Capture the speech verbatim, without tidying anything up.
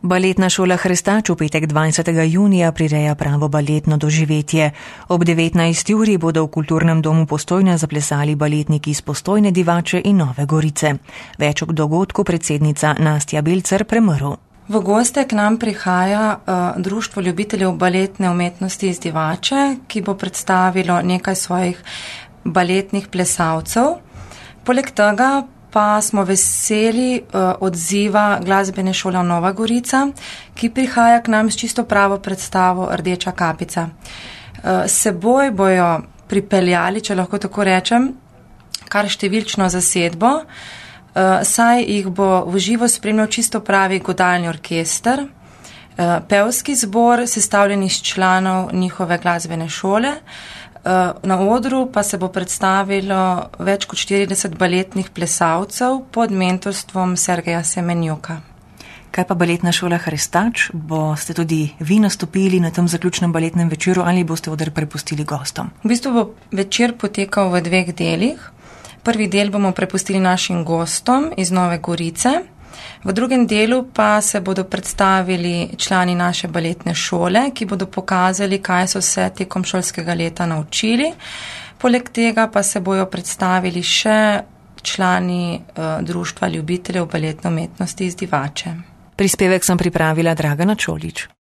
Baletna šola Hrestač v petek dvajsetega junija prireja pravo baletno doživetje. Ob devetnajsti uri bodo v Kulturnem domu Postojna zaplesali baletniki iz Postojne, Divače in Nove Gorice. Več ob dogodku predsednica Nastja Belcer Premrl. V goste k nam prihaja uh, Društvo ljubiteljev baletne umetnosti iz Divače, ki bo predstavilo nekaj svojih baletnih plesalcev. Poleg tega pa smo veseli uh, odziva glasbene šole Nova Gorica, ki prihaja k nam s čisto pravo predstavo Rdeča kapica. Uh, seboj bojo pripeljali, če lahko tako rečem, kar številčno zasedbo, uh, saj jih bo v živo spremljal čisto pravi godalni orkester, uh, pevski zbor, sestavljen iz članov njihove glasbene šole. Na odru pa se bo predstavilo več kot štirideset baletnih plesalcev pod mentorstvom Sergeja Semenjuka. Kaj pa baletna šola Hrestač? Boste tudi vi nastopili na tem zaključnem baletnem večeru ali boste oder prepustili gostom? V bistvu bo večer potekal v dveh delih. Prvi del bomo prepustili našim gostom iz Nove Gorice. V drugem delu pa se bodo predstavili člani naše baletne šole, ki bodo pokazali, kaj so se tekom šolskega leta naučili. Poleg tega pa se bojo predstavili še člani uh, Društva ljubiteljev baletne umetnosti iz Divače. Prispevek sem pripravila Dragana Čolič.